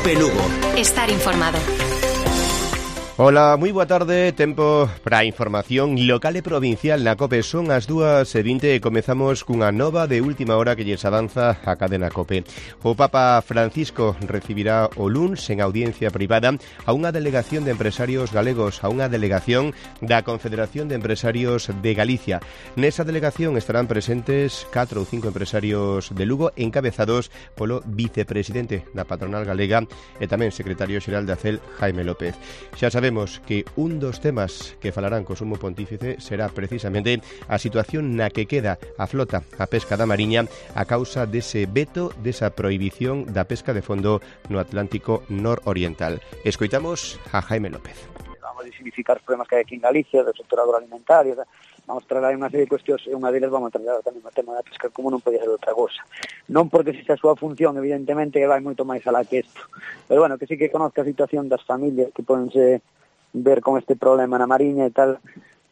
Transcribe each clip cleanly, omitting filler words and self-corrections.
COPE Lugo. Estar informado. Ola, moi boa tarde, tempo para a información local e provincial na COPE. Son as 2:20 e comezamos cunha nova de última hora que lles avanza a cadena COPE. O Papa Francisco recibirá o luns en audiencia privada a unha delegación de empresarios galegos, a unha delegación da Confederación de Empresarios de Galicia. Nesa delegación estarán presentes 4 ou 5 empresarios de Lugo encabezados polo vicepresidente da patronal galega e tamén secretario xeral de ACEL, Jaime López. Xa sabemos que un dos temas que falarán co sumo pontífice será precisamente a situación na que queda a flota, a pesca da mariña, a causa dese veto, desa prohibición da pesca de fondo no Atlántico nororiental. Escoitamos a Jaime López. Vamos a visibilizar os problemas que hai aquí en Galicia, do sector agroalimentario, vamos a tratar unha serie de cuestións, e unha deles vamos a tratar tamén o tema da pesca, como non podía ser outra cosa. Non porque se a súa función, evidentemente, que vai moito máis alá que isto, pero bueno, que sí que conozca a situación das familias que podense ver con este problema na mariña e tal,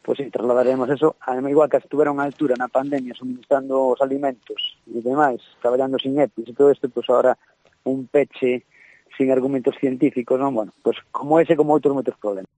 pois sí, trasladaremos eso. Además, igual que estuveron a altura na pandemia suministrando os alimentos e demais, traballando sin EPIs e todo isto, pois agora un peche sin argumentos científicos, non? Bueno, pois como ese, como outros moitos problemas.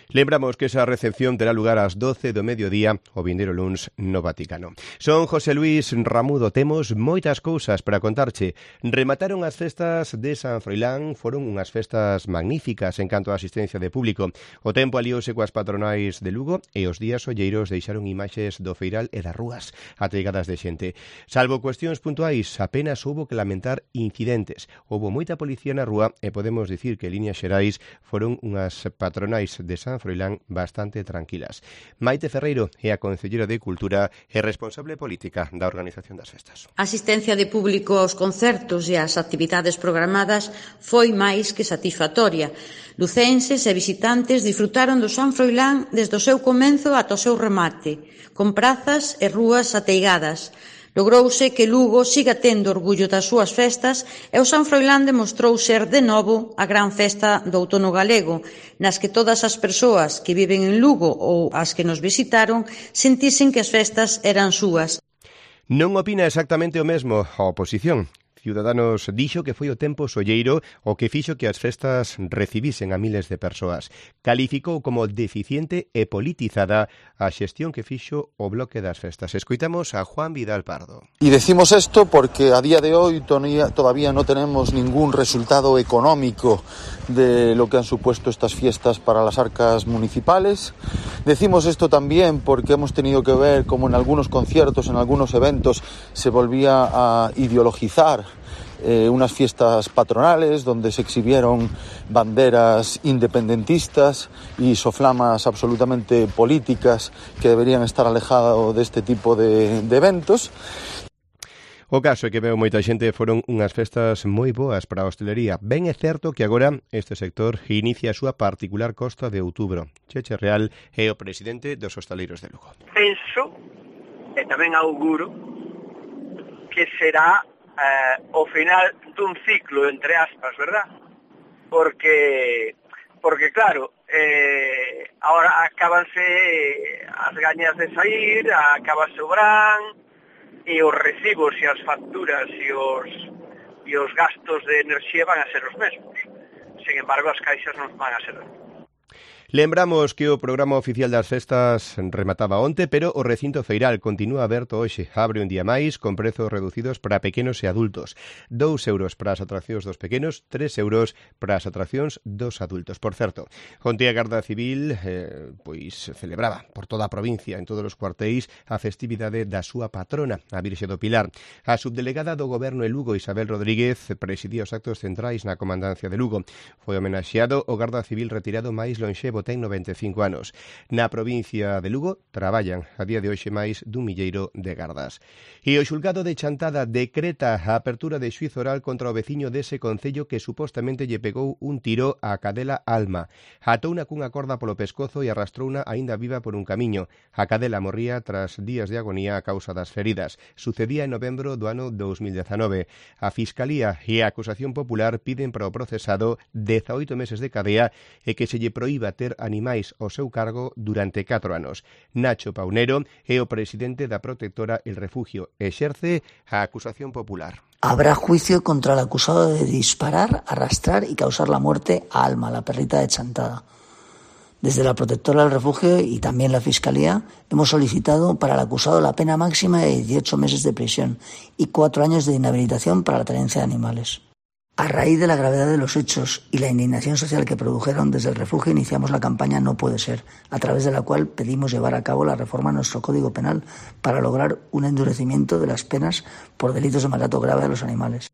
Lembramos que esa recepción terá lugar ás 12 do mediodía o vindeiro luns no Vaticano. Son José Luis Ramudo, temos moitas cousas para contarche. Remataron as festas de San Froilán, foron unhas festas magníficas en canto a asistencia de público. O tempo aliouse coas patronais de Lugo e os días olleiros deixaron imaxes do feiral e das rúas ateigadas de xente. Salvo cuestións puntuais, apenas houbo que lamentar incidentes. Houbo moita policía na rúa e podemos dicir que, en líneas xerais, foron unhas patronais de San Froilán bastante tranquilas. Maite Ferreiro é a concellera de Cultura e responsable política da organización das festas. A asistencia de público aos concertos e ás actividades programadas foi máis que satisfactoria. Lucenses e visitantes disfrutaron do San Froilán desde o seu comenzo ata o seu remate, con prazas e rúas ateigadas. Logrouse que Lugo siga tendo orgullo das súas festas e o San Froilán demostrou ser de novo a gran festa do outono galego, nas que todas as persoas que viven en Lugo ou as que nos visitaron sentisen que as festas eran súas. Non opina exactamente o mesmo a oposición. Ciudadanos dixo que foi o tempo solleiro o que fixo que as festas recibisen a miles de persoas. Calificou como deficiente e politizada a xestión que fixo o bloque das festas. Escoitamos a Juan Vidal Pardo. Y decimos esto porque a día de hoy todavía no tenemos ningún resultado económico de lo que han supuesto estas fiestas para las arcas municipales. Decimos esto también porque hemos tenido que ver cómo en algunos conciertos, en algunos eventos, se volvía a ideologizar unas fiestas patronales donde se exhibieron banderas independentistas y soflamas absolutamente políticas que deberían estar alejados de este tipo de eventos. O caso é que veo moita xente foron unhas festas moi boas para a hostelería. Ben é certo que agora este sector inicia a súa particular costa de outubro. Cheche Real é o presidente dos hostaleiros de Lugo. Penso, e tamén auguro, que será o final dun ciclo, entre aspas, verdad? Porque claro, ahora acábanse as gañas de sair, acabase o verán, e os recibos e as facturas e os gastos de enerxía van a ser os mesmos. Sin embargo, as caixas non van a ser. Lembramos que o programa oficial das festas remataba onte, pero o recinto feiral continúa aberto hoxe. Abre un día máis con prezos reducidos para pequenos e adultos. 2 euros para as atraccións dos pequenos, 3 euros para as atraccións dos adultos. Por certo, onte a Garda Civil pois celebraba por toda a provincia, en todos os cuartéis, a festividade da súa patrona, a Virxe do Pilar. A subdelegada do Goberno en Lugo, Isabel Rodríguez, presidía os actos centrais na comandancia de Lugo. Foi homenaxeado o Garda Civil retirado máis lonxevo, ten 95 anos. Na provincia de Lugo traballan a día de hoxe máis dun milleiro de gardas. E o xulgado de Chantada decreta a apertura de xuízo oral contra o veciño dese concello que supostamente lle pegou un tiro á cadela Alma. Atouna cunha corda polo pescozo e arrastrouna aínda viva por un camiño. A cadela morría tras días de agonía a causa das feridas. Sucedía en novembro do ano 2019. A Fiscalía e a acusación popular piden para o procesado 18 meses de cadea e que se lle proíba ter animais ao seu cargo durante 4 anos. Nacho Paunero é o presidente da protectora El Refugio e exerce a acusación popular. Habrá juicio contra el acusado de disparar, arrastrar y causar la muerte a Alma, la perrita de Chantada. Desde la Protectora del Refugio y también la Fiscalía hemos solicitado para el acusado la pena máxima de 18 meses de prisión y 4 años de inhabilitación para la tenencia de animales. A raíz de la gravedad de los hechos y la indignación social que produjeron, desde el refugio iniciamos la campaña No Puede Ser, a través de la cual pedimos llevar a cabo la reforma a nuestro Código Penal para lograr un endurecimiento de las penas por delitos de maltrato grave a los animales.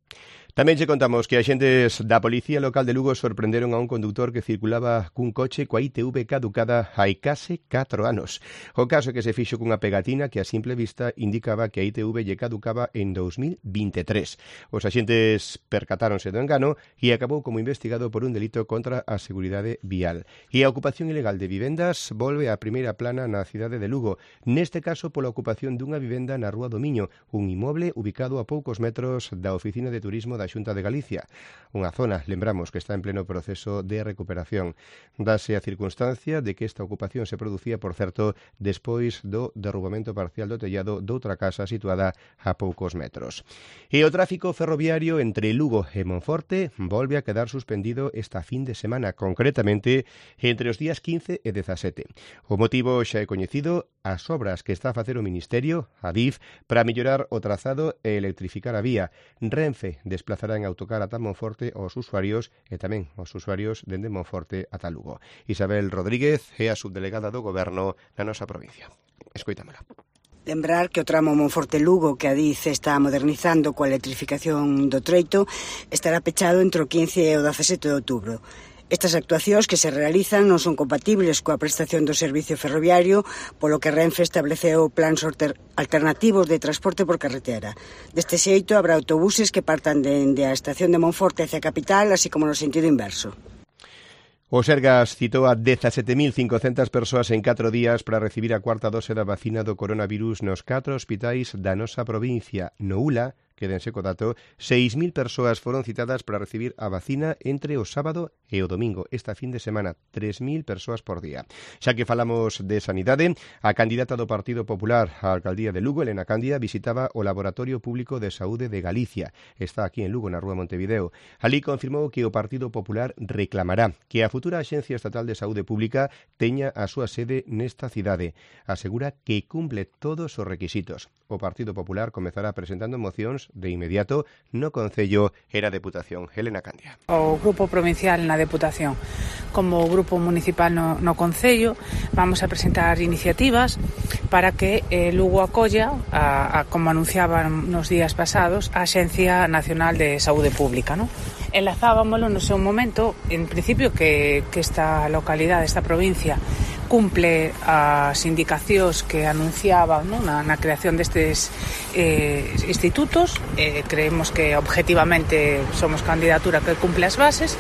Tamén che contamos que axentes da Policía Local de Lugo sorprenderon a un conductor que circulaba cun coche coa ITV caducada hai case 4 anos. O caso é que se fixo cunha pegatina que a simple vista indicaba que a ITV lle caducaba en 2023. Os axentes percatáronse do engano e acabou como investigado por un delito contra a seguridade vial. E a ocupación ilegal de vivendas volve á primeira plana na cidade de Lugo, neste caso pola ocupación dunha vivenda na Rúa do Miño, un inmoble ubicado a poucos metros da Oficina de Turismo da Xunta de Galicia, unha zona, lembramos, que está en pleno proceso de recuperación. Dase a circunstancia de que esta ocupación se producía, por certo, despois do derrubamento parcial do tellado doutra casa situada a poucos metros. E o tráfico ferroviario entre Lugo e Monforte volve a quedar suspendido esta fin de semana, concretamente entre os días 15 e 17. O motivo xa é coñecido, as obras que está a facer o Ministerio, a DIF, para mellorar o trazado e electrificar a vía. Renfe desplazará en autocar ata Monforte aos usuarios e tamén aos usuarios dende Monforte ata Lugo. Isabel Rodríguez é a subdelegada do Goberno na nosa provincia. Escoitámola. Lembrar que o tramo Monforte-Lugo que a DIF está modernizando coa electrificación do treito estará pechado entre o 15 e o 17 de outubro. Estas actuacións que se realizan non son compatibles coa prestación do servicio ferroviario, polo que Renfe estableceu plans alternativos de transporte por carretera. Deste xeito, habrá autobuses que partan dende a estación de Monforte hacia a capital, así como no sentido inverso. O Sergas citou a 17.500 persoas en 4 días para recibir a cuarta dose da vacina do coronavirus nos 4 hospitais da nosa provincia. No ULA, quédense co dato, 6.000 persoas foron citadas para recibir a vacina entre o sábado e o domingo. Esta fin de semana, 3.000 persoas por día. Xa que falamos de sanidade, a candidata do Partido Popular á alcaldía de Lugo, Elena Candia, visitaba o Laboratorio Público de Saúde de Galicia. Está aquí en Lugo, na Rúa Montevideo. Alí confirmou que o Partido Popular reclamará que a futura Axencia Estatal de Saúde Pública teña a súa sede nesta cidade. Asegura que cumple todos os requisitos. O Partido Popular comezará presentando mocións de inmediato no Concello e na Deputación. Elena Candia. O Grupo Provincial na Deputación como o Grupo Municipal no Concello vamos a presentar iniciativas para que Lugo acolla, como anunciaban nos días pasados, a Axencia Nacional de Saúde Pública, ¿no? Enlazábamoslo no seu momento, en principio que esta localidade, esta provincia, cumple as indicacións que anunciaban, ¿no?, na creación destes institutos. Creemos que objetivamente somos candidatura que cumple as bases.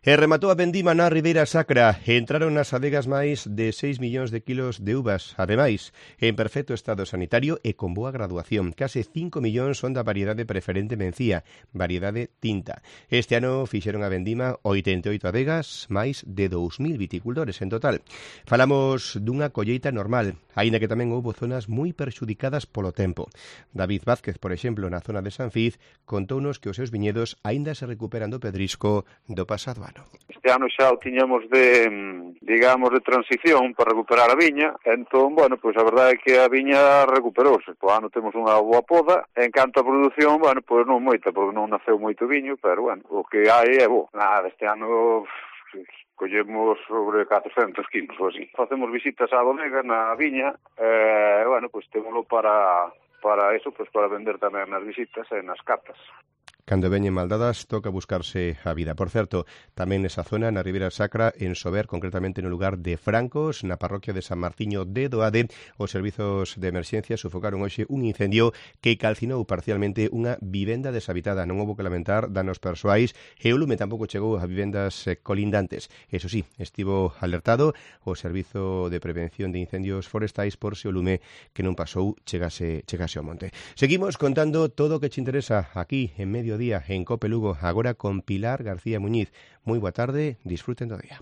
E rematou a vendima na Ribeira Sacra. Entraron nas adegas máis de 6 millóns de kilos de uvas. Ademais, en perfecto estado sanitario e con boa graduación. Case 5 millóns son da variedade preferente mencía, variedade tinta. Este ano fixeron a vendima 88 adegas, máis de 2.000 viticultores en total. Falamos dunha colleita normal, aínda que tamén houbo zonas moi perxudicadas polo tempo. David Vázquez, por exemplo, na zona de Sanfiz, contounos que os seus viñedos aínda se recuperan do pedrisco do pasado ano. Este ano xa o tiñamos de transición para recuperar a viña, entón, bueno, pois a verdade é que a viña recuperouse. Po ano temos unha boa poda, en canto a produción, bueno, pois non moita, porque non naceu moito viño, pero, bueno, o que hai é bo. Nada, este ano collemos sobre 400 kilos ou así. Facemos visitas á bodega na viña, bueno, pois témolo para eso, pois para vender tamén nas visitas e nas catas. Cando veñen maldadas, toca buscarse a vida. Por certo, tamén nesa zona, na Ribeira Sacra, en Sober, concretamente no lugar de Francos, na parroquia de San Martiño de Doade, os servizos de emerxencia sufocaron hoxe un incendio que calcinou parcialmente unha vivenda deshabitada. Non houbo que lamentar danos persoais e o lume tampouco chegou a vivendas colindantes. Eso sí, estivo alertado o Servizo de Prevención de Incendios Forestais por se o lume que non pasou chegase ao monte. Seguimos contando todo o que te interesa aquí en Mediodía en Cope Lugo, agora con Pilar García Muñiz. Moi boa tarde, disfruten do día.